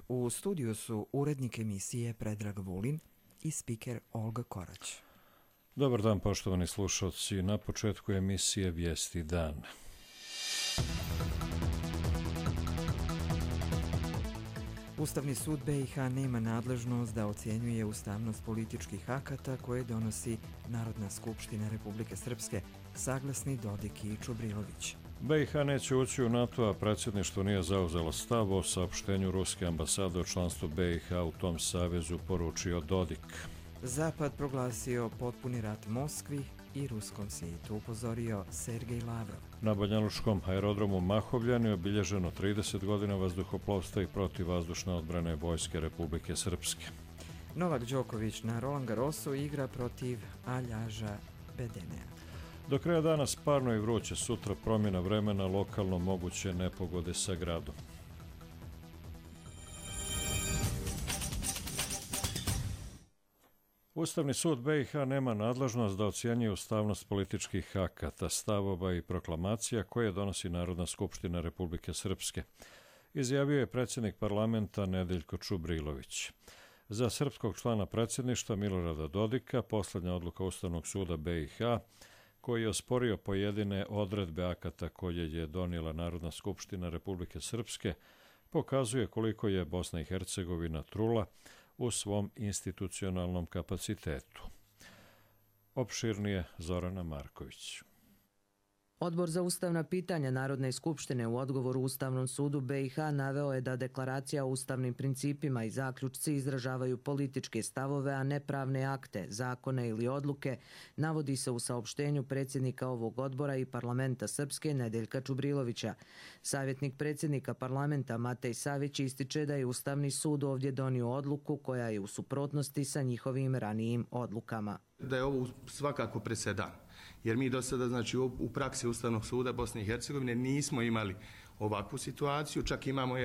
U studiju su urednik emisije Predrag Vulin i spiker Olga Korać. Dobar dan, poštovani slušalci. Na početku emisije Vijesti dan. Ustavni sud BiH nema nadležnost da ocjenjuje ustavnost političkih akata koje donosi Narodna skupština Republike Srpske, saglasni Dodik i Čubrilović. BiH neće ući u NATO, a predsjedništvo nije zauzelo stav o saopštenju ruske ambasade o članstvu BiH u tom savezu, poručio Dodik. Zapad proglasio potpuni rat Moskvi i ruskom svijetu, upozorio Sergej Lavrov. Na banjalučkom aerodromu Mahovljan je obilježeno 30 godina vazduhoplovstva i protivvazdušne odbrane Vojske Republike Srpske. Novak Đoković na Roland Garrosu igra protiv Aljaža Bedenea. Do kraja dana sparno i vruće, sutra promjena vremena, lokalno moguće nepogode sa gradom. Ustavni sud BiH nema nadležnost da ocjenjuje ustavnost političkih akata, stavova i proklamacija koje donosi Narodna skupština Republike Srpske, izjavio je predsjednik parlamenta Nedeljko Čubrilović. Za srpskog člana predsjedništva Milorada Dodika posljednja odluka Ustavnog suda BiH, koji je osporio pojedine odredbe akata koje je donijela Narodna skupština Republike Srpske, pokazuje koliko je Bosna i Hercegovina trula u svom institucionalnom kapacitetu. Opširnije Zorana Marković. Odbor za ustavna pitanja Narodne skupštine u odgovoru Ustavnom sudu BiH naveo je da deklaracija o ustavnim principima i zaključci izražavaju političke stavove, a ne pravne akte, zakone ili odluke, navodi se u saopštenju predsjednika ovog odbora i parlamenta Srpske Nedeljka Čubrilovića. Savjetnik predsjednika parlamenta Matej Savić ističe da je Ustavni sud ovdje donio odluku koja je u suprotnosti sa njihovim ranijim odlukama. Da je ovo svakako presedan, jer mi do sada, znači, u praksi Ustavnog suda Bosne i Hercegovine nismo imali ovakvu situaciju, čak imamo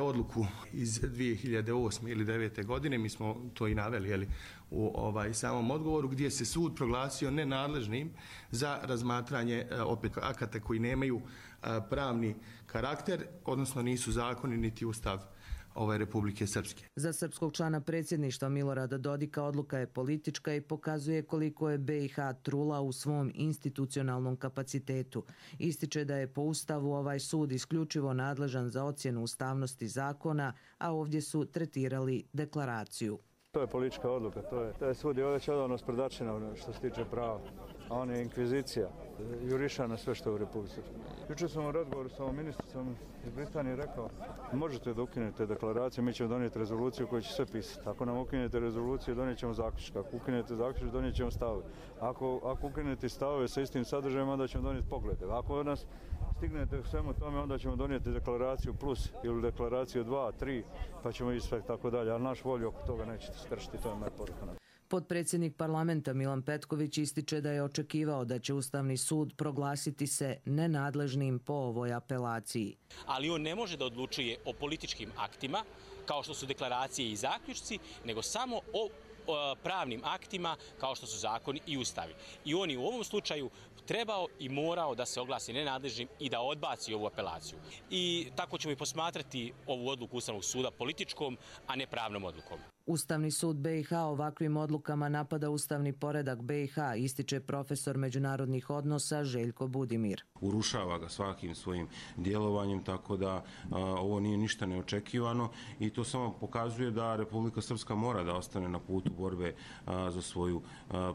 odluku iz 2008. ili 2009. godine, mi smo to i naveli u samom odgovoru, gdje se sud proglasio nenadležnim za razmatranje opet akata koji nemaju pravni karakter, odnosno nisu zakoni niti ustav Republike Srpske. Za srpskog člana predsjedništva Milorada Dodika odluka je politička i pokazuje koliko je BiH trula u svom institucionalnom kapacitetu. Ističe da je po Ustavu ovaj sud isključivo nadležan za ocjenu ustavnosti zakona, a ovdje su tretirali deklaraciju. To je politička odluka, to je sud je već odavno sprdačina što se tiče prava, a on je inkvizicija, juriša na sve što je u Republici Srpskoj. Jučer sam u razgovoru sa ovom ministricom iz Britanije rekao, možete da ukinete deklaraciju, mi ćemo donijeti rezoluciju koju će sve pisati. Ako nam ukinete rezoluciju, donijet ćemo zaključak. Ako ukinete zaključak, donijet ćemo stavove. Ako ukinete stavove sa istim sadržajem, onda ćemo donijeti poglede. Ako od nas stignete u svemu tome, onda ćemo donijeti deklaraciju plus ili deklaraciju 2, 3, pa ćemo ići sve tako dalje. Ali naš volju oko toga nećete skršiti, to je moja poruka. Potpredsjednik parlamenta Milan Petković ističe da je očekivao da će Ustavni sud proglasiti se nenadležnim po ovoj apelaciji. Ali on ne može da odlučuje o političkim aktima, kao što su deklaracije i zaključci, nego samo o pravnim aktima kao što su zakoni i ustavi. I on je u ovom slučaju trebao i morao da se oglasi nenadležnim i da odbaci ovu apelaciju. I tako ćemo i posmatrati ovu odluku Ustavnog suda političkom, a ne pravnom odlukom. Ustavni sud BiH ovakvim odlukama napada ustavni poredak BiH, ističe profesor međunarodnih odnosa Željko Budimir. Urušava ga svakim svojim djelovanjem, tako da ovo nije ništa neočekivano i to samo pokazuje da Republika Srpska mora da ostane na putu borbe za svoju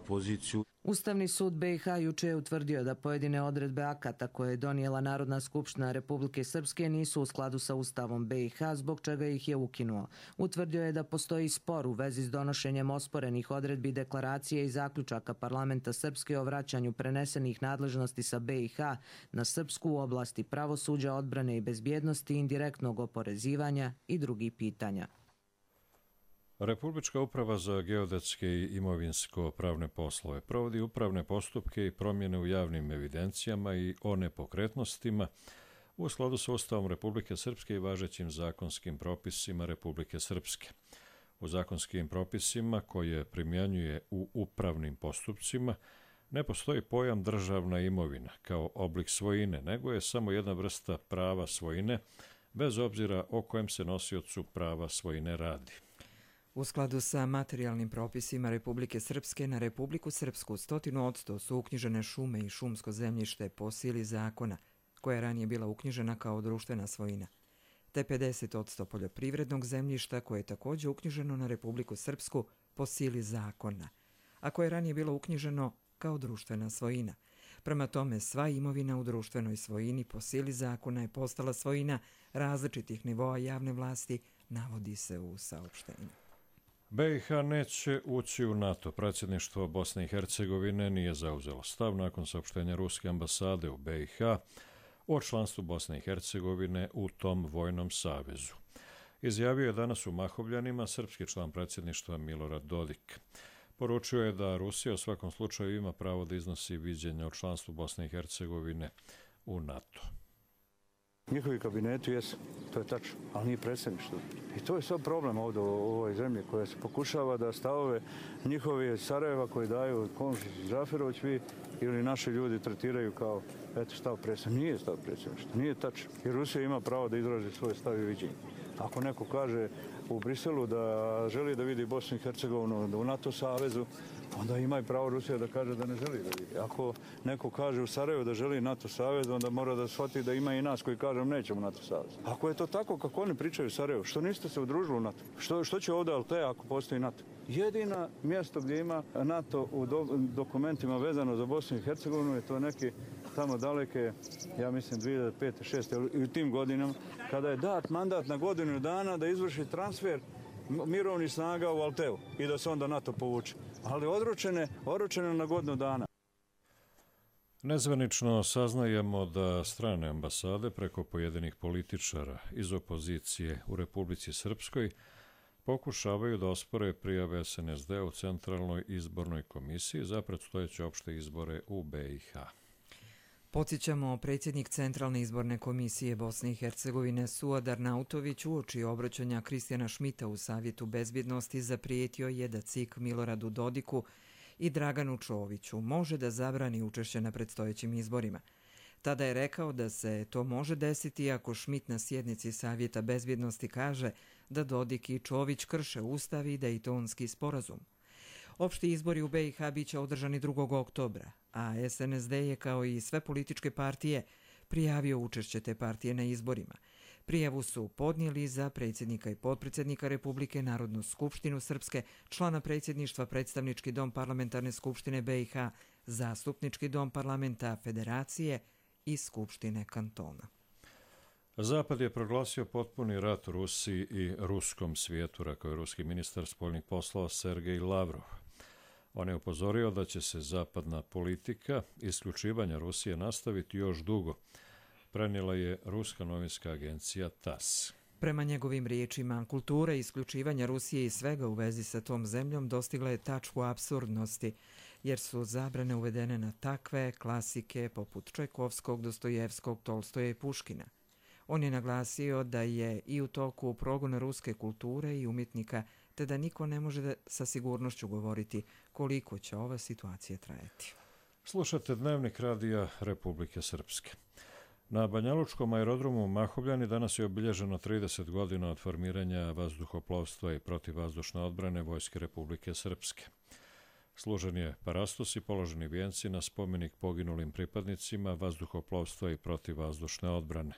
poziciju. Ustavni sud BiH juče je utvrdio da pojedine odredbe akata koje je donijela Narodna skupština Republike Srpske nisu u skladu sa Ustavom BiH, zbog čega ih je ukinuo. Utvrdio je da postoji spor u vezi s donošenjem osporenih odredbi deklaracije i zaključaka parlamenta Srpske o vraćanju prenesenih nadležnosti sa BiH na Srpsku u oblasti pravosuđa, odbrane i bezbjednosti, indirektnog oporezivanja i drugih pitanja. Republička uprava za geodetske i imovinsko-pravne poslove provodi upravne postupke i promjene u javnim evidencijama i o nepokretnostima u skladu sa Ustavom Republike Srpske i važećim zakonskim propisima Republike Srpske. U zakonskim propisima koje primjenjuje u upravnim postupcima ne postoji pojam državna imovina kao oblik svojine, nego je samo jedna vrsta prava svojine bez obzira o kojem se nosiocu prava svojine radi. U skladu sa materijalnim propisima Republike Srpske na Republiku Srpsku 100% su uknjižene šume i šumsko zemljište po sili zakona, koja je ranije bila uknjižena kao društvena svojina, te 50% poljoprivrednog zemljišta koje je također uknjiženo na Republiku Srpsku po sili zakona, a koje je ranije bilo uknjiženo kao društvena svojina. Prema tome, sva imovina u društvenoj svojini po sili zakona je postala svojina različitih nivoa javne vlasti, navodi se u saopštenju. BiH neće ući u NATO. Predsjedništvo Bosne i Hercegovine nije zauzelo stav nakon saopštenja Ruske ambasade u BiH o članstvu Bosne i Hercegovine u tom vojnom savezu. Izjavio je danas u Mahovljanima srpski član predsjedništva Milorad Dodik. Poručio je da Rusija u svakom slučaju ima pravo da iznosi viđenja o članstvu Bosne i Hercegovine u NATO. Njihovi kabineti jesu, to je tačno, ali nije predsjedništvo. I to je sad problem ovdje u ovoj zemlji koja se pokušava da stavove njihovi Sarajeva koji daju Komšić i Džaferović vi ili naši ljudi tretiraju kao stav predsjedništva. Nije stav predsjedništva, nije tačno. I Rusija ima pravo da izrazi svoje stav i viđenje. Ako neko kaže u Briselu da želi da vidi Bosnu i Hercegovinu u NATO savezu, onda ima i pravo Rusija da kaže da ne želi da vidi. Ako neko kaže u Sarajevu da želi NATO savez, onda mora da shvati da ima i nas koji kažemo nećemo NATO savez. Ako je to tako kako oni pričaju u Sarajevu, što niste se udružili u NATO? Što će ovdje LT ako postoji NATO? Jedina mjesto gdje ima NATO u dokumentima vezano za Bosnu i Hercegovinu je to neki tamo daleke, ja mislim 2005. 2006. i u tim godinama, kada je dat mandat na godinu dana da izvrši transfer mirovnih snaga u Alteu i da se onda NATO povuče. Ali odročene na godinu dana. Nezvanično saznajemo da strane ambasade preko pojedinih političara iz opozicije u Republici Srpskoj pokušavaju da ospore prijave SNSD u Centralnoj izbornoj komisiji za predstojeće opšte izbore u BiH. Podsjećamo, predsjednik Centralne izborne komisije Bosne i Hercegovine Suad Arnautović uoči obraćanja Kristijana Šmita u Savjetu bezbjednosti zaprijetio je da CIK Miloradu Dodiku i Draganu Čoviću može da zabrani učešće na predstojećim izborima. Tada je rekao da se to može desiti ako Šmit na sjednici Savjeta bezbjednosti kaže da Dodik i Čović krše Ustav i Dejtonski sporazum. Opšti izbori u BiH biće održani 2. oktobra, a SNSD je kao i sve političke partije prijavio učešće te partije na izborima. Prijavu su podnijeli za predsjednika i potpredsjednika Republike, Narodnu skupštinu Srpske, člana predsjedništva Predstavnički dom Parlamentarne skupštine BiH, Zastupnički dom Parlamenta Federacije i Skupštine kantona. Zapad je proglasio potpuni rat Rusiji i ruskom svijetu, rekao je ruski ministar spoljnih poslova Sergej Lavrov. On je upozorio da će se zapadna politika isključivanja Rusije nastaviti još dugo, prenijela je ruska novinska agencija TASS. Prema njegovim riječima, kultura isključivanja Rusije i svega u vezi sa tom zemljom dostigla je tačku apsurdnosti, jer su zabrane uvedene na takve klasike poput Čajkovskog, Dostojevskog, Tolstoja i Puškina. On je naglasio da je i u toku progona ruske kulture i umjetnika, te da niko ne može sa sigurnošću govoriti koliko će ova situacija trajati. Slušate Dnevnik radija Republike Srpske. Na Banjalučkom aerodromu Mahovljani danas je obilježeno 30 godina od formiranja vazduhoplovstva i protivvazdušne odbrane Vojske Republike Srpske. Služen je parastos i položeni vijenci na spomenik poginulim pripadnicima vazduhoplovstva i protivvazdušne odbrane.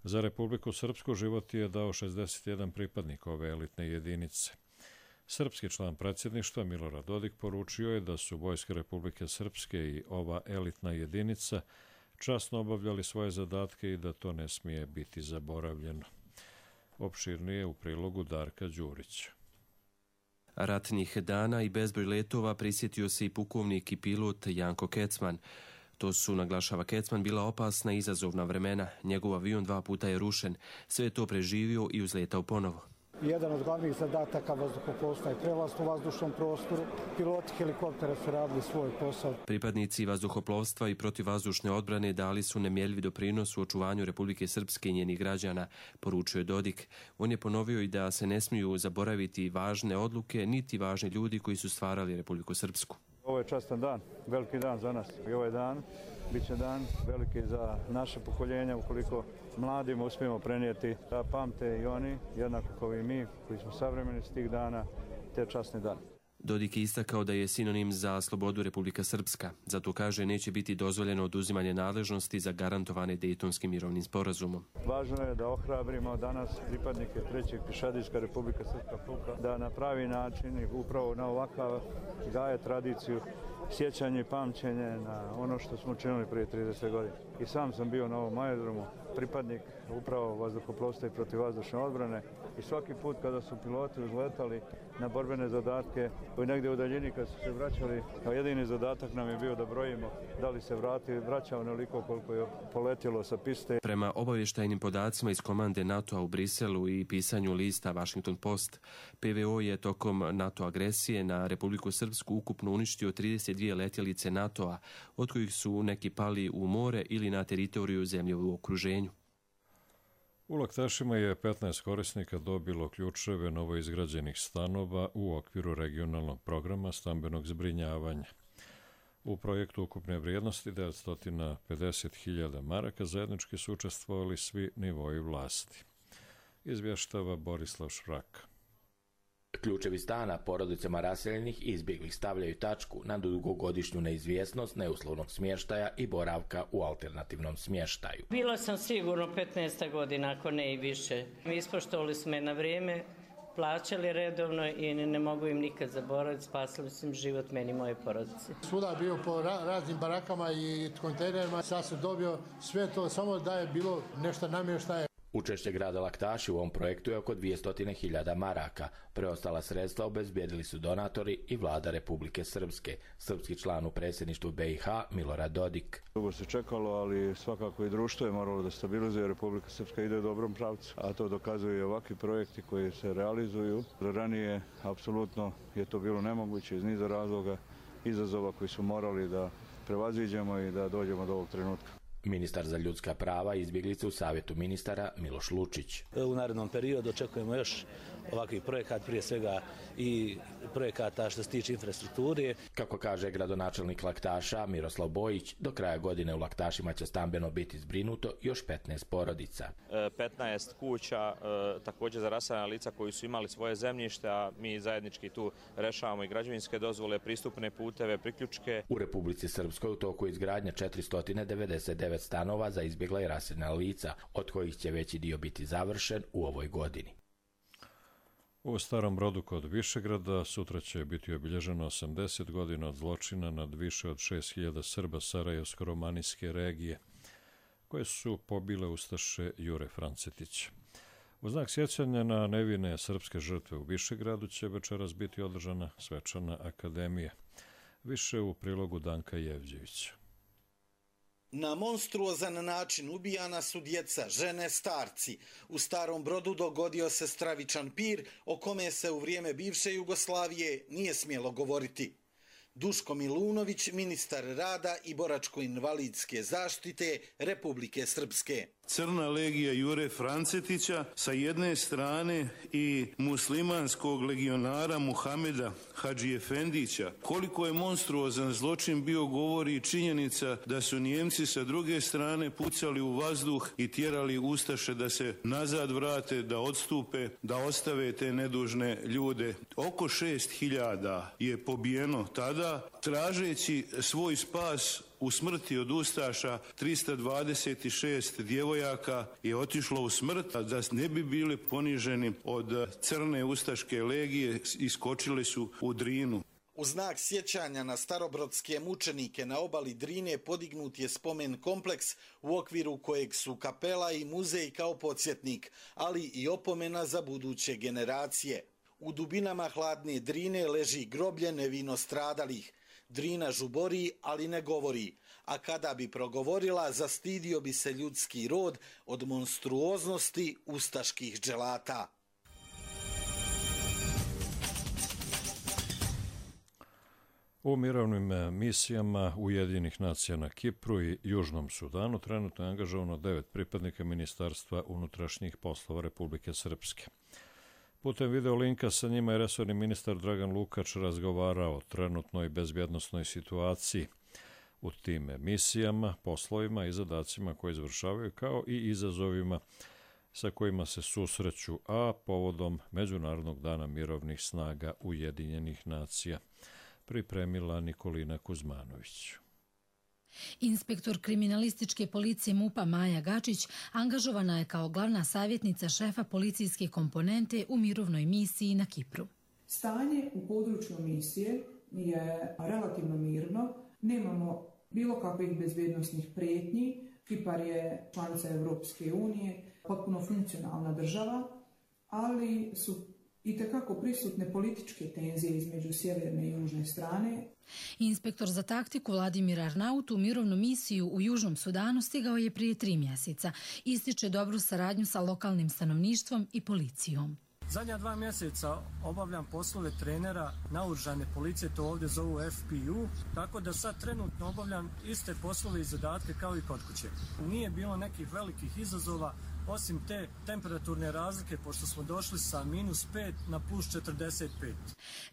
Za Republiku Srpsku život je dao 61 pripadnik ove elitne jedinice. Srpski član predsjedništva Milorad Dodik poručio je da su Vojske Republike Srpske i ova elitna jedinica časno obavljali svoje zadatke i da to ne smije biti zaboravljeno. Opširnije u prilogu Darka Đurića. Ratnih dana i bezbroj letova prisjetio se i pukovnik i pilot Janko Kecman. To su, naglašava Kecman, bila opasna i izazovna vremena. Njegov avion 2 puta je rušen. Sve je to preživio i uzletao ponovo. Jedan od glavnih zadataka vazduhoplovstva je prelast u vazdušnom prostoru. Piloti helikoptera su radili svoj posao. Pripadnici vazduhoplovstva i protivvazdušne odbrane dali su nemjerljiv doprinos u očuvanju Republike Srpske i njenih građana, poručio je Dodik. On je ponovio i da se ne smiju zaboraviti važne odluke niti važni ljudi koji su stvarali Republiku Srpsku. Ovo Ovo je častan dan, veliki dan za nas. I ovaj dan bit će dan veliki za naše pokoljenja ukoliko mladima uspijemo prenijeti da pamte i oni, jednako kao i mi koji smo savremeni s tih dana, te časne dane. Dodik je istakao da je sinonim za slobodu Republika Srpska. Zato kaže neće biti dozvoljeno oduzimanje nadležnosti zagarantovane Dejtonskim mirovnim sporazumom. Važno je da ohrabrimo danas pripadnike 3. pješadijska Republika Srpska puka da na pravi način i upravo na ovakav gaje tradiciju sjećanje i pamćenje na ono što smo činili prije 30 godina. I sam sam bio na ovom aerodromu pripadnik upravo vazduhoplovstva i protivvazdušne odbrane i svaki put kada su piloti uzletali na borbene zadatke koji negdje u daljini kad su se vraćali, a jedini zadatak nam je bio da brojimo da li se vraćao onoliko koliko je poletjelo sa piste. Prema obavještajnim podacima iz komande NATO-a u Briselu i pisanju lista Washington Post, PVO je tokom NATO agresije na Republiku Srpsku ukupno uništio 32 letjelice NATO-a, od kojih su neki pali u more ili na teritoriju zemlje u okruženju. U Laktašima je 15 korisnika dobilo ključeve novoizgrađenih stanova u okviru regionalnog programa stambenog zbrinjavanja. U projektu ukupne vrijednosti 950.000 maraka zajednički su učestvovali svi nivoi vlasti. Izvještava Borislav Šraka. Ključevi stana porodicama raseljenih i izbjeglih stavljaju tačku na dugogodišnju neizvjesnost neuslovnog smještaja i boravka u alternativnom smještaju. Bila sam sigurno 15 godina, ako ne i više. Ispoštovali smo je na vrijeme, plaćali redovno i ne mogu im nikad zaboraviti, spasili su im život meni i moje porodice. Svuda je bio po raznim barakama i kontejnerima, sad sam dobio sve to, samo da je bilo nešto namještaje. Učešće grada Laktaši u ovom projektu je oko 200.000 maraka. Preostala sredstva obezbijedili su donatori i vlada Republike Srpske. Srpski član u predsjedništvu BiH Milorad Dodik. Dugo se čekalo, ali svakako i društvo je moralo da stabilizuje. Republika Srpska ide u dobrom pravcu, a to dokazuju i ovakvi projekti koji se realizuju. Ranije apsolutno je to bilo nemoguće iz niza razloga, izazova koji su morali da prevaziđemo i da dođemo do ovog trenutka. Ministar za ljudska prava i izbjeglice u Savjetu ministara Miloš Lučić. U narednom periodu očekujemo još ovakvih projekata, prije svega i projekata što se tiče infrastrukture. Kako kaže gradonačelnik Laktaša Miroslav Bojić, do kraja godine u Laktašima će stambeno biti zbrinuto još 15 porodica. 15 kuća također za raseljena lica koji su imali svoje zemljište, a mi zajednički tu rešavamo i građevinske dozvole, pristupne puteve, priključke. U Republici Srpskoj u toku izgradnja 499 stanova za izbjegla i raseljena lica, od kojih će veći dio biti završen u ovoj godini. U Starom Brodu kod Višegrada sutra će biti obilježeno 80 godina od zločina nad više od 6.000 Srba Sarajevsko-romanijske regije, koje su pobile ustaše Jure Francetića. U znak sjećanja na nevine srpske žrtve u Višegradu će večeras biti održana svečana akademija. Više u prilogu Danka Jevđevića. Na monstruozan način ubijana su djeca, žene, starci. U Starom Brodu dogodio se stravičan pir o kome se u vrijeme bivše Jugoslavije nije smjelo govoriti. Duško Milunović, ministar rada i boračko-invalidske zaštite Republike Srpske. Crna legija Jure Francetića sa jedne strane i muslimanskog legionara Muhameda Hadži Efendića. Koliko je monstruozan zločin bio govori činjenica da su Nijemci sa druge strane pucali u vazduh i tjerali ustaše da se nazad vrate, da odstupe, da ostave te nedužne ljude. Oko 6.000 je pobijeno tada, tražeći svoj spas u smrti od ustaša. 326 djevojaka je otišlo u smrt, da ne bi bili poniženi od crne ustaške legije, iskočili su u Drinu. U znak sjećanja na starobrodske mučenike na obali Drine podignut je spomen kompleks u okviru kojeg su kapela i muzej kao podsjetnik, ali i opomena za buduće generacije. U dubinama hladne Drine leži groblje nevino stradalih. Drina žubori, ali ne govori, a kada bi progovorila, zastidio bi se ljudski rod od monstruoznosti ustaških dželata. U mirovnim misijama Ujedinjenih nacija na Kipru i Južnom Sudanu trenutno je angažovano 9 pripadnika Ministarstva unutrašnjih poslova Republike Srpske. Putem video linka sa njima je resorni ministar Dragan Lukač razgovarao o trenutnoj bezbjednosnoj situaciji u tim misijama, poslovima i zadacima koje izvršavaju, kao i izazovima sa kojima se susreću, a povodom Međunarodnog dana mirovnih snaga Ujedinjenih nacija, pripremila Nikolina Kuzmanović. Inspektor kriminalističke policije MUP-a Maja Gačić angažovana je kao glavna savjetnica šefa policijske komponente u mirovnoj misiji na Kipru. Stanje u području misije je relativno mirno, nemamo bilo kakvih bezbjednosnih prijetnji. Kipar je članica Europske unije, potpuno funkcionalna država, ali su itekako prisutne političke tenzije između sjeverne i južne strane. Inspektor za taktiku Vladimir Arnaut u mirovnu misiju u Južnom Sudanu stigao je prije 3 mjeseca. Ističe dobru saradnju sa lokalnim stanovništvom i policijom. Zadnja 2 mjeseca obavljam poslove trenera naoružane policije, to ovdje zovu FPU, tako da sad trenutno obavljam iste poslove i zadatke kao i kod kuće. Nije bilo nekih velikih izazova, osim te temperaturne razlike, pošto smo došli sa -5 na +45.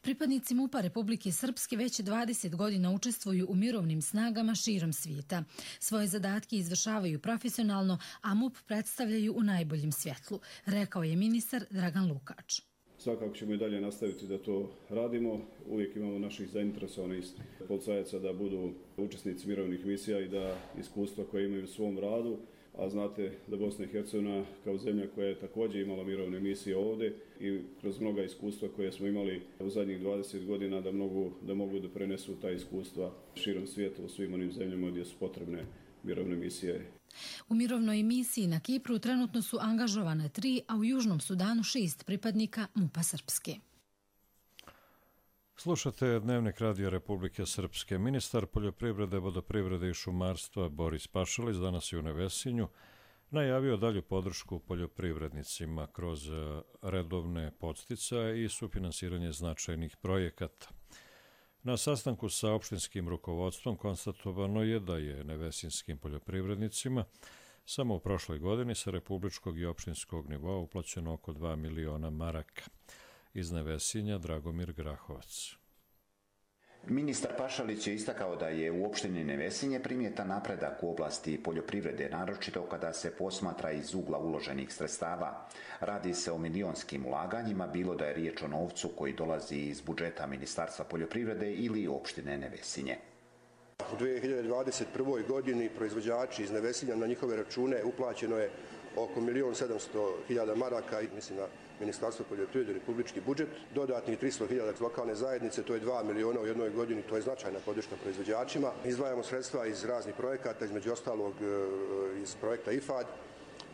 Pripadnici MUP-a Republike Srpske već 20 godina učestvuju u mirovnim snagama širom svijeta. Svoje zadatke izvršavaju profesionalno, a MUP predstavljaju u najboljem svjetlu, rekao je ministar Dragan Lukač. Svakako ćemo i dalje nastaviti da to radimo. Uvijek imamo naših zainteresovanih policajaca da budu učesnici mirovnih misija i da iskustva koje imaju u svom radu, a znate da Bosna i Hercegovina kao zemlja koja je također imala mirovne misije ovdje i kroz mnoga iskustva koje smo imali u zadnjih 20 godina da mogu da prenesu ta iskustva širom svijeta u svim onim zemljama gdje su potrebne mirovne misije. U mirovnoj misiji na Kipru trenutno su angažovane 3, a u Južnom Sudanu 6 pripadnika MUP-a Srpske. Slušate Dnevnik radija Republike Srpske. Ministar poljoprivrede, vodoprivrede i šumarstva Boris Pašalić danas je u Nevesinju najavio dalju podršku poljoprivrednicima kroz redovne podsticaje i sufinansiranje značajnih projekata. Na sastanku sa opštinskim rukovodstvom konstatovano je da je nevesinskim poljoprivrednicima samo u prošloj godini sa republičkog i opštinskog nivoa uplaćeno oko 2 miliona maraka. Iz Nevesinja Dragomir Grahovac. Ministar Pašalić je istakao da je u opštini Nevesinje primjetan napredak u oblasti poljoprivrede, naročito kada se posmatra iz ugla uloženih sredstava. Radi se o milionskim ulaganjima, bilo da je riječ o novcu koji dolazi iz budžeta Ministarstva poljoprivrede ili opštine Nevesinje. U 2021. godini proizvođači iz Nevesinja na njihove račune uplaćeno je oko 1.700.000 maraka, mislim na Ministarstvo poljoprivrede i republički budžet, dodatnih 300.000 lokalne zajednice, to je 2 miliona u jednoj godini, to je značajna podrška proizvođačima. Izdvajamo sredstva iz raznih projekata, između ostalog iz projekta IFAD,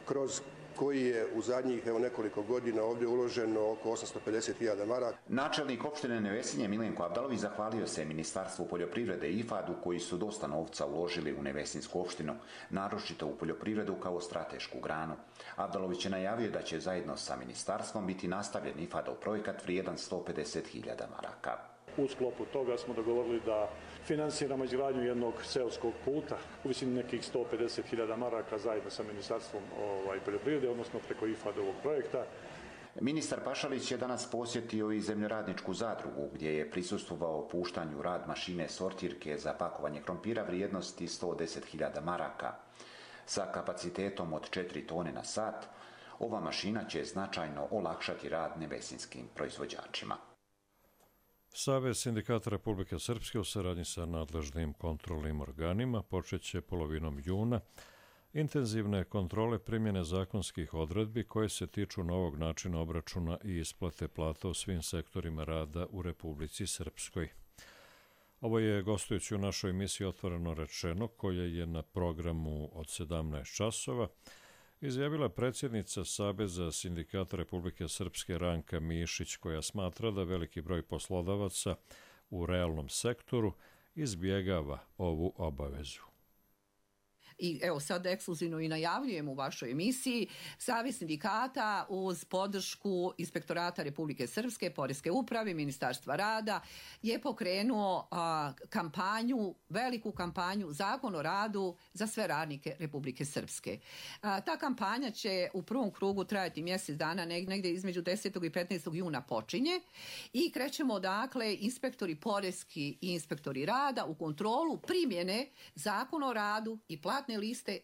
kroz koji je u zadnjih nekoliko godina ovdje uloženo oko 850.000 maraka. Načelnik opštine Nevesinje Milenko Abdalović zahvalio se Ministarstvu poljoprivrede i IFAD-u koji su dosta novca uložili u Nevesinsku opštinu, naročito u poljoprivredu kao stratešku granu. Abdalović je najavio da će zajedno sa ministarstvom biti nastavljen IFAD-ov projekat vrijedan 150.000 maraka. U sklopu toga smo dogovorili da finansiramo izgradnju jednog seoskog puta u visini nekih 150.000 maraka zajedno sa Ministarstvom poljoprivrede, odnosno preko IFAD-ovog projekta. Ministar Pašalić je danas posjetio i zemljoradničku zadrugu gdje je prisustvovao puštanju rad mašine sortirke za pakovanje krompira vrijednosti 110.000 maraka. Sa kapacitetom od 4 tone na sat, ova mašina će značajno olakšati rad nevesinskim proizvođačima. Savez sindikata Republike Srpske u saradnji sa nadležnim kontrolnim organima počeće polovinom juna intenzivne kontrole primjene zakonskih odredbi koje se tiču novog načina obračuna i isplate plata u svim sektorima rada u Republici Srpskoj. Ovo je gostujući u našoj emisiji Otvoreno rečeno, koja je na programu od 17 časova, izjavila predsjednica Saveza sindikata Republike Srpske Ranka Mišić, koja smatra da veliki broj poslodavaca u realnom sektoru izbjegava ovu obavezu. i evo sad ekskluzivno i najavljujem u vašoj emisiji, Savez sindikata uz podršku Inspektorata Republike Srpske, Poreske uprave, Ministarstva rada je pokrenuo kampanju, veliku kampanju Zakon o radu za sve radnike Republike Srpske. Ta kampanja će u prvom krugu trajati mjesec dana, negdje između 10. i 15. juna počinje i krećemo dakle inspektori poreski i inspektori rada u kontrolu primjene Zakona o radu i platne liste,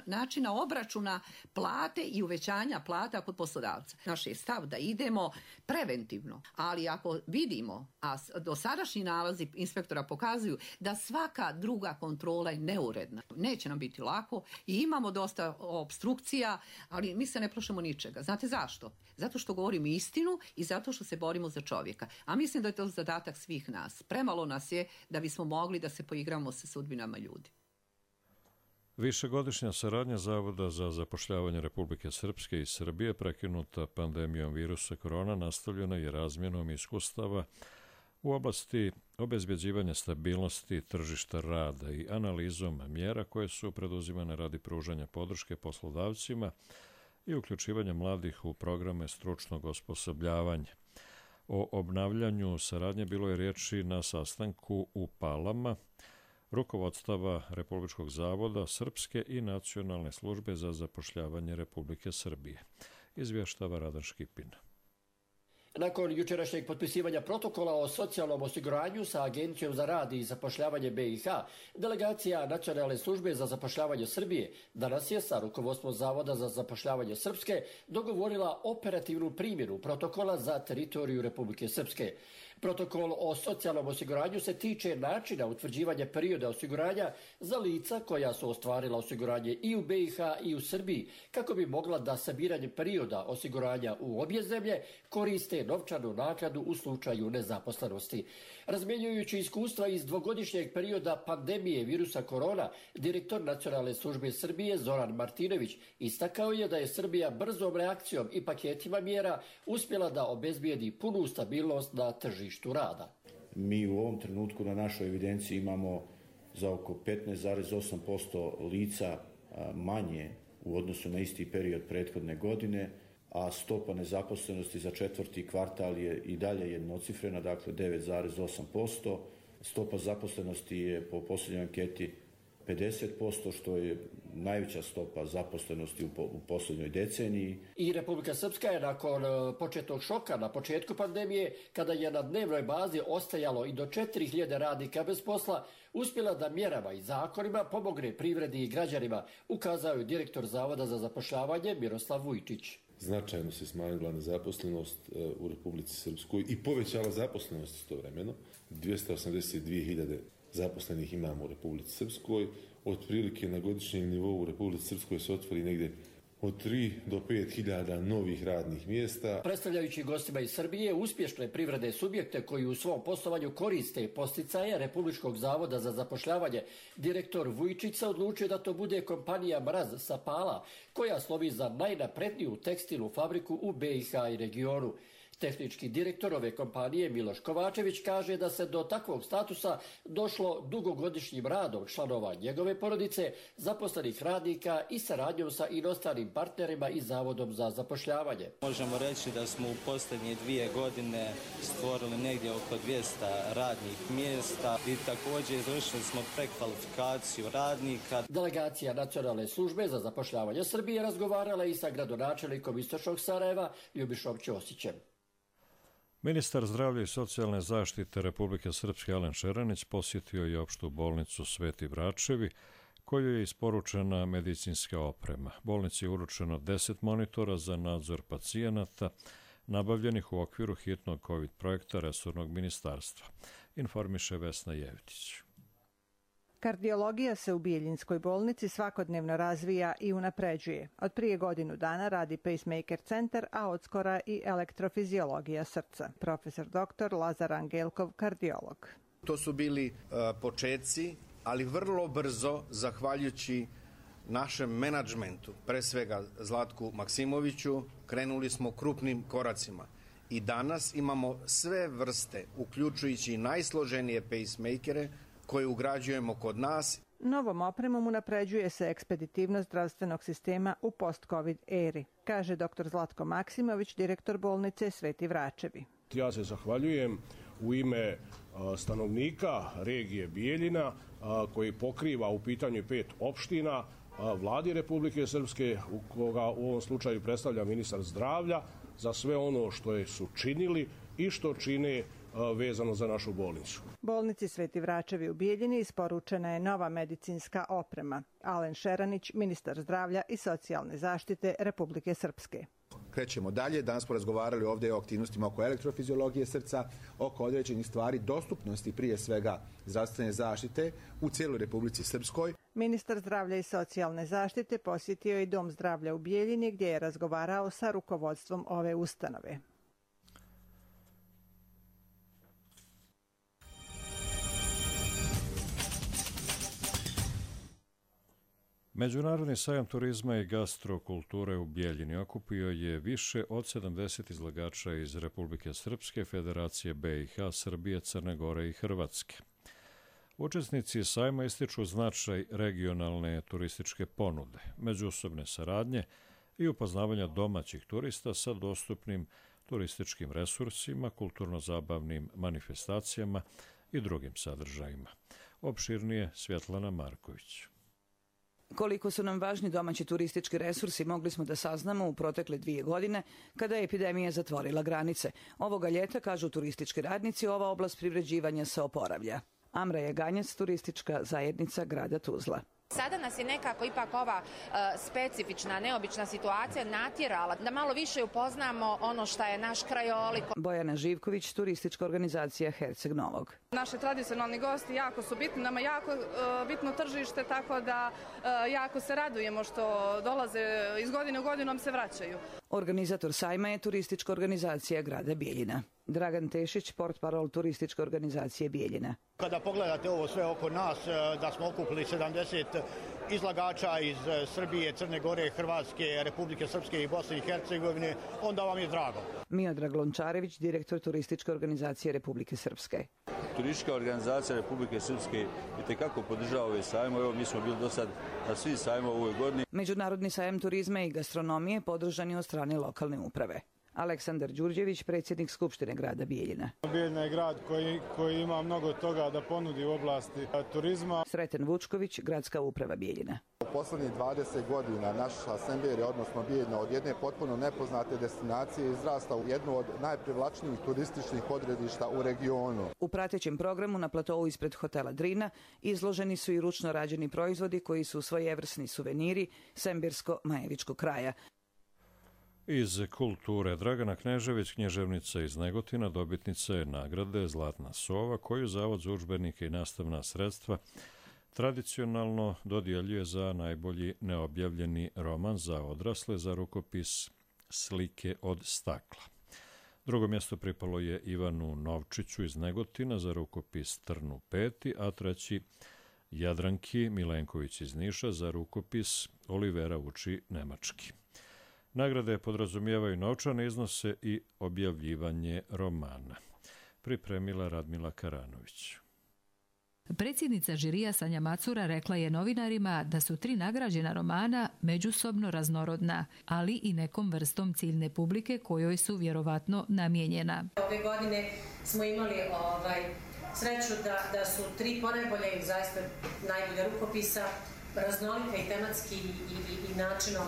načina obračuna plate i uvećanja plata kod poslodavca. Naš je stav da idemo preventivno, ali ako vidimo, a dosadašnji nalazi inspektora pokazuju da svaka druga kontrola je neuredna, neće nam biti lako i imamo dosta obstrukcija, ali mi se ne plašimo ničega. Znate zašto? Zato što govorimo istinu i zato što se borimo za čovjeka. A mislim da je to zadatak svih nas. Premalo nas je da bismo mogli da se poigramo sa sudbinama ljudi. Višegodišnja saradnja Zavoda za zapošljavanje Republike Srpske i Srbije prekinuta pandemijom virusa korona nastavljena je razmjenom iskustava u oblasti obezbeđivanja stabilnosti tržišta rada i analizom mjera koje su preduzimane radi pružanja podrške poslodavcima i uključivanja mladih u programe stručnog osposobljavanja. O obnavljanju saradnje bilo je riječi na sastanku u Palama rukovodstava Republičkog zavoda Srpske i Nacionalne službe za zapošljavanje Republike Srbije. Izvještava Radan Škipin. Nakon jučerašnjeg potpisivanja protokola o socijalnom osiguranju sa Agencijom za rad i zapošljavanje BiH, delegacija Nacionalne službe za zapošljavanje Srbije danas je sa rukovodstvom Zavoda za zapošljavanje Srpske dogovorila operativnu primjenu protokola za teritoriju Republike Srpske. Protokol o socijalnom osiguranju se tiče načina utvrđivanja perioda osiguranja za lica koja su ostvarila osiguranje i u BiH i u Srbiji, kako bi mogla da sabiranje perioda osiguranja u obje zemlje koriste novčanu naknadu u slučaju nezaposlenosti. Razmjenjujući iskustva iz dvogodišnjeg perioda pandemije virusa korona, direktor Nacionalne službe Srbije Zoran Martinović istakao je da je Srbija brzom reakcijom i paketima mjera uspjela da obezbijedi punu stabilnost na tržištu rada. Mi u ovom trenutku na našoj evidenciji imamo za oko 15,8% lica manje u odnosu na isti period prethodne godine, a stopa nezaposlenosti za četvrti kvartal je i dalje jednocifrena, dakle 9,8%. Stopa zaposlenosti je po posljednjoj anketi 50%, što je najveća stopa zaposlenosti u posljednjoj deceniji. I Republika Srpska je nakon početnog šoka na početku pandemije, kada je na dnevnoj bazi ostajalo i do 4.000 radnika bez posla, uspjela da mjerama i zakonima pomogne privredi i građanima, ukazao je direktor Zavoda za zapošljavanje Miroslav Vujčić. Značajno se smanjila nezaposlenost u Republici Srpskoj i povećala zaposlenost istovremeno. 282.000 zaposlenih imamo u Republici Srpskoj. Otprilike na godišnjem nivou u Republici Srpskoj se otvori negdje od 3 do 5.000 novih radnih mjesta. Predstavljajući gostima iz Srbije uspješne privredne subjekte koji u svom poslovanju koriste posticaje Republičkog zavoda za zapošljavanje, direktor Vujčić se odlučio da to bude kompanija Mraz sa Pala, koja slovi za najnapredniju tekstilnu fabriku u BiH i regionu. Tehnički direktor ove kompanije Miloš Kovačević kaže da se do takvog statusa došlo dugogodišnjim radom članova njegove porodice, zaposlenih radnika i saradnjom sa inostranim partnerima i Zavodom za zapošljavanje. Možemo reći da smo u posljednje 2 godine stvorili negdje oko 200 radnih mjesta i također izvršili smo prekvalifikaciju radnika. Delegacija Nacionalne službe za zapošljavanje Srbije razgovarala i sa gradonačelnikom Istočnog Sarajeva Ljubišom Ćosićem. Ministar zdravlja i socijalne zaštite Republike Srpske Alen Šeranić posjetio je opštu bolnicu Sveti Vračevi, kojoj je isporučena medicinska oprema. Bolnici je uručeno 10 monitora za nadzor pacijenata, nabavljenih u okviru hitnog COVID projekta resornog ministarstva, informiše Vesna Jevtić. Kardiologija se u Bijeljinskoj bolnici svakodnevno razvija i unapređuje. Od prije godinu dana radi pacemaker centar, a odskora i elektrofiziologija srca. Profesor dr. Lazar Angelkov, kardiolog. To su bili početci, ali vrlo brzo, zahvaljujući našem menadžmentu, pre svega Zlatku Maksimoviću, krenuli smo krupnim koracima. I danas imamo sve vrste, uključujući najsloženije pacemakere, koje ugrađujemo kod nas. Novom opremom unapređuje se ekspeditivnost zdravstvenog sistema u post-covid eri, kaže dr. Zlatko Maksimović, direktor bolnice Sveti Vračevi. Ja se zahvaljujem u ime stanovnika regije Bijeljina, koji pokriva u pitanju 5 opština, Vladi Republike Srpske, koga u ovom slučaju predstavlja ministar zdravlja, za sve ono što su činili i što čine vezano za našu bolnicu. Bolnici Sveti Vračevi u Bijeljini isporučena je nova medicinska oprema. Alen Šeranić, ministar zdravlja i socijalne zaštite Republike Srpske. Krećemo dalje. Danas smo razgovarali ovdje o aktivnostima oko elektrofiziologije srca, oko određenih stvari, dostupnosti prije svega zdravstvene zaštite u cijeloj Republici Srpskoj. Ministar zdravlja i socijalne zaštite posjetio je i Dom zdravlja u Bijeljini gdje je razgovarao sa rukovodstvom ove ustanove. Međunarodni sajam turizma i gastrokulture u Bijeljini okupio je više od 70 izlagača iz Republike Srpske, Federacije BiH, Srbije, Crne Gore i Hrvatske. Učesnici sajma ističu značaj regionalne turističke ponude, međusobne saradnje i upoznavanja domaćih turista sa dostupnim turističkim resursima, kulturno-zabavnim manifestacijama i drugim sadržajima. Opširnije Svjetlana Marković. Koliko su nam važni domaći turistički resursi mogli smo da saznamo u protekle 2 godine kada je epidemija zatvorila granice. Ovoga ljeta, kažu turistički radnici, ova oblast privređivanja se oporavlja. Amra Jaganjac, turistička zajednica grada Tuzla. Sada nas je nekako ipak ova specifična, neobična situacija natjerala da malo više upoznamo ono što je naš krajolik. Bojana Živković, turistička organizacija Herceg Novog. Naši tradicionalni gosti jako su bitni, nama jako bitno tržište, tako da jako se radujemo što dolaze iz godine u godinu, nam se vraćaju. Organizator sajma je turistička organizacija grada Bijeljina. Dragan Tešić, portparol turističke organizacije Bijeljina. Kada pogledate ovo sve oko nas, da smo okupili 70 izlagača iz Srbije, Crne Gore, Hrvatske, Republike Srpske i Bosne i Hercegovine, onda vam je drago. Miodrag Lončarević, direktor turističke organizacije Republike Srpske. Turistička organizacija Republike Srpske itekako podržava ove sajmo. Evo, mi smo bili do sad na svi sajmo u ovoj godini. Međunarodni sajam turizma i gastronomije podržan je od strane lokalne uprave. Aleksandar Đurđević, predsjednik Skupštine grada Bijeljina. Bijeljina je grad koji ima mnogo toga da ponudi u oblasti turizma. Sreten Vučković, gradska uprava Bijeljina. U poslednjih 20 godina naša Semberija, odnosno Bijeljina, od jedne potpuno nepoznate destinacije izrasta u jednu od najprivlačnijih turističkih odredišta u regionu. U pratećem programu na platovu ispred hotela Drina izloženi su i ručno rađeni proizvodi koji su svojevrsni suveniri sembersko-majevičkog kraja. Iz kulture Dragana Knežević, književnica iz Negotina, dobitnica je nagrade Zlatna sova, koju Zavod za udžbenike i nastavna sredstva tradicionalno dodjeljuje za najbolji neobjavljeni roman za odrasle za rukopis Slike od stakla. Drugo mjesto pripalo je Ivanu Novčiću iz Negotina za rukopis Trnu peti, a treći Jadranki Milenković iz Niša za rukopis Olivera uči nemački. Nagrade podrazumijevaju novčane iznose i objavljivanje romana. Pripremila Radmila Karanović. Predsjednica žirija Sanja Macura rekla je novinarima da su 3 nagrađena romana međusobno raznorodna, ali i nekom vrstom ciljne publike kojoj su vjerovatno namijenjena. Ove godine smo imali sreću da su 3 ponajbolja i zaista najbolja rukopisa, raznolika i tematski i načinom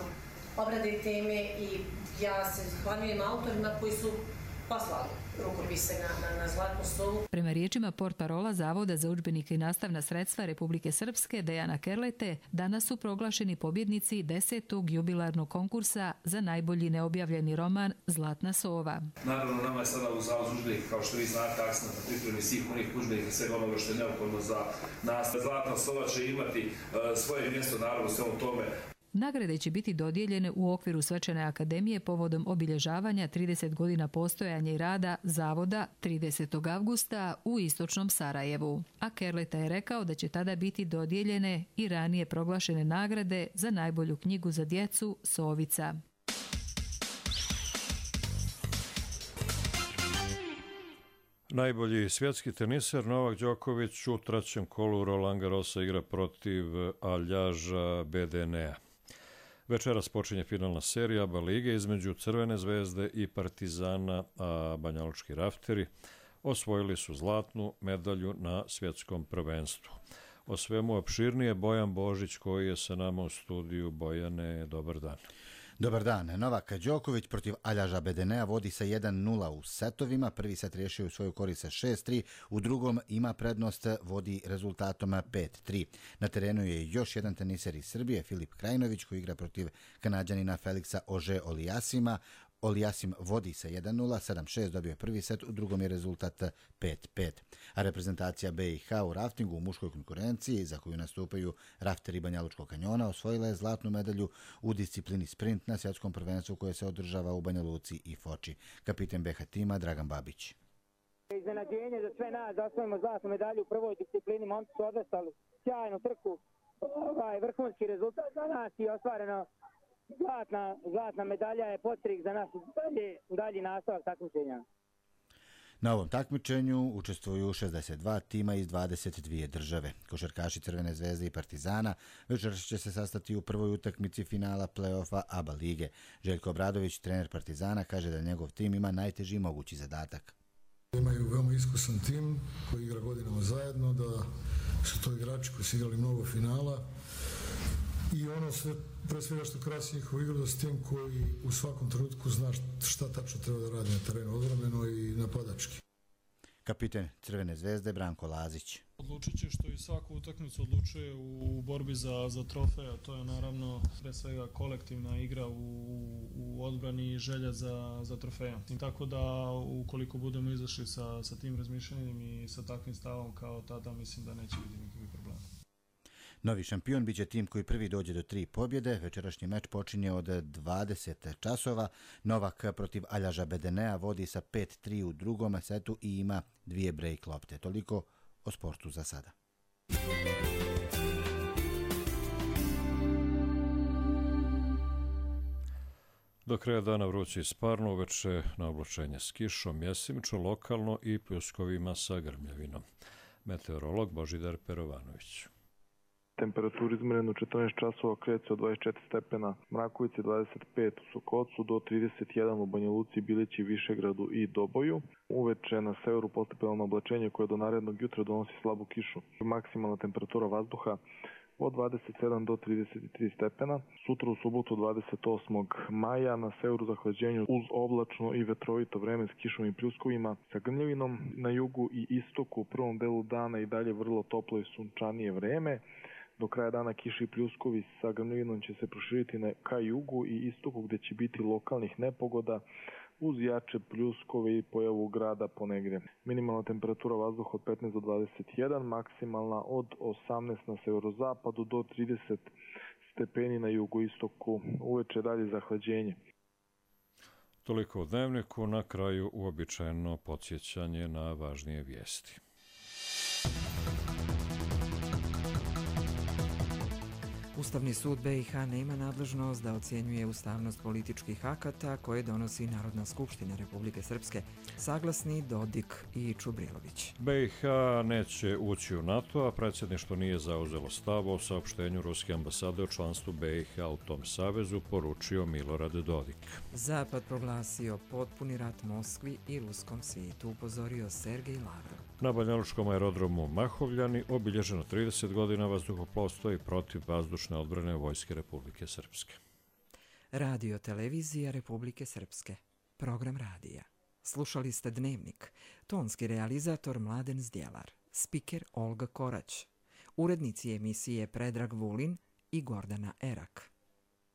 obrade teme, i ja se zahvaljujem autorima koji su poslali rukopise na Zlatnu sovu. Prema riječima portparola Zavoda za udžbenike i nastavna sredstva Republike Srpske Dejana Kerlete, danas su proglašeni pobjednici 10. jubilarnog konkursa za najbolji neobjavljeni roman Zlatna sova. Naravno, nama je sada u Zavodu za udžbenike, kao što vi znate, akcent na pripremi svih onih udžbenika, svega onoga što je neophodno za nastavu. Zlatna sova će imati svoje mjesto, naravno, u svemu tome. Nagrade će biti dodijeljene u okviru Svečane akademije povodom obilježavanja 30 godina postojanja i rada Zavoda 30. avgusta u istočnom Sarajevu. A Kerleta je rekao da će tada biti dodijeljene i ranije proglašene nagrade za najbolju knjigu za djecu Sovica. Najbolji svjetski teniser Novak Đoković u trećem kolu Roland Garrosa igra protiv Aljaža Bedenea. Večeras počinje finalna serija ABA lige između Crvene zvezde i Partizana, a banjalučki rafteri osvojili su zlatnu medalju na svjetskom prvenstvu. O svemu opširnije Bojan Božić koji je sa nama u studiju. Bojane, dobar dan. Dobar dan. Novak Đoković protiv Aljaža Bedenea vodi sa 1-0 u setovima. Prvi set riješio u svoju korist sa 6-3, u drugom ima prednost, vodi rezultatom 5-3. Na terenu je još jedan teniser iz Srbije, Filip Krajinović, koji igra protiv Kanađanina Feliksa Ože-Oliasima. Oliasim vodi sa 1-0, 7-6 dobio prvi set, u drugom je rezultat 5-5. A reprezentacija BiH u raftingu u muškoj konkurenciji, za koju nastupaju rafteri Banjalučkog kanjona, osvojila je zlatnu medalju u disciplini sprint na svjetskom prvenstvu koje se održava u Banja Luci i Foči. Kapiten BiH tima Dragan Babić. Iznenađenje za sve nas da osvojimo zlatnu medalju u prvoj disciplini. Momci su odvestali sjajnu trku, vrhunski rezultat za nas i ostvareno. Zlatna medalja je podstrih za nas dalji nastavak takmičenja. Na ovom takmičenju učestvuju 62 tima iz 22 države. Košarkaši Crvene zvezde i Partizana večeras će se sastati u prvoj utakmici finala play-offa ABA lige. Željko Obradović, trener Partizana, kaže da njegov tim ima najteži mogući zadatak. Imaju veoma iskusan tim koji igra godinama zajedno, da su to igrači koji su igrali mnogo finala. I ono sve, pre svega što krasi njihovu igru, da s tim koji u svakom trenutku zna šta tačno treba da radi na terenu, odbrambeno i napadački. Kapiten Crvene zvezde Branko Lazić. Odlučit će što i svaku utakmicu odlučuje u borbi za trofej, a to je naravno pre svega kolektivna igra u odbrani i želja za trofejom. Tako da ukoliko budemo izašli sa tim razmišljanjem i sa takvim stavom kao tada, mislim da neće biti nikakvih problema. Novi šampion biće tim koji prvi dođe do 3 pobjede. Večerašnji meč počinje od 20 časova. Novak protiv Aljaža Bedenea vodi sa 5-3 u drugom setu i ima 2 break lopte. Toliko o sportu za sada. Do kraja dana vruće i sparno, uveče na oblačenje s kišom, jesimično, lokalno i pljuskovima sa grmljavinom. Meteorolog Božidar Perovanović. Temperaturu izmerenu 14 časova kreće od 24 stepena Mrakovici, 25 u Sokocu, do 31 u Banja Luci, Bilići, Višegradu i Doboju. Uveče na severu postepeno oblačenje koje do narednog jutra donosi slabu kišu. Maksimalna temperatura vazduha od 27 do 33 stepena. Sutra u subotu 28. maja na severu zahlađenju uz oblačno i vetrovito vreme s kišom i pljuskovima sa grmljavinom. Na jugu i istoku u prvom delu dana i dalje vrlo toplo i sunčanije vreme. Do kraja dana kiši i pljuskovi sa grmljavinom će se proširiti ka jugu i istoku gdje će biti lokalnih nepogoda uz jače pljuskove i pojavu grada ponegdje. Minimalna temperatura vazduha od 15 do 21, maksimalna od 18 na severozapadu do 30 stepeni na jugoistoku. Uveče dalje zahlađenje. Toliko u dnevniku, na kraju uobičajeno podsjećanje na važnije vijesti. Ustavni sud BiH nema nadležnost da ocjenjuje ustavnost političkih akata koje donosi Narodna skupština Republike Srpske, saglasni Dodik i Čubrilović. BiH neće ući u NATO, a predsjedništvo nije zauzelo stav o saopštenju ruske ambasade o članstvu BiH u tom savezu, poručio Milorad Dodik. Zapad proglasio potpuni rat Moskvi i ruskom svijetu, upozorio Sergej Lavrov. Na banjalučkom aerodromu Mahovljani obilježeno 30 godina vazduhoplovstva i protivvazdušne odbrane Vojske Republike Srpske. Radio televizija Republike Srpske. Program radija. Slušali ste Dnevnik. Tonski realizator Mladen Zdjelar. Spiker Olga Korać. Urednici emisije Predrag Vulin i Gordana Erak.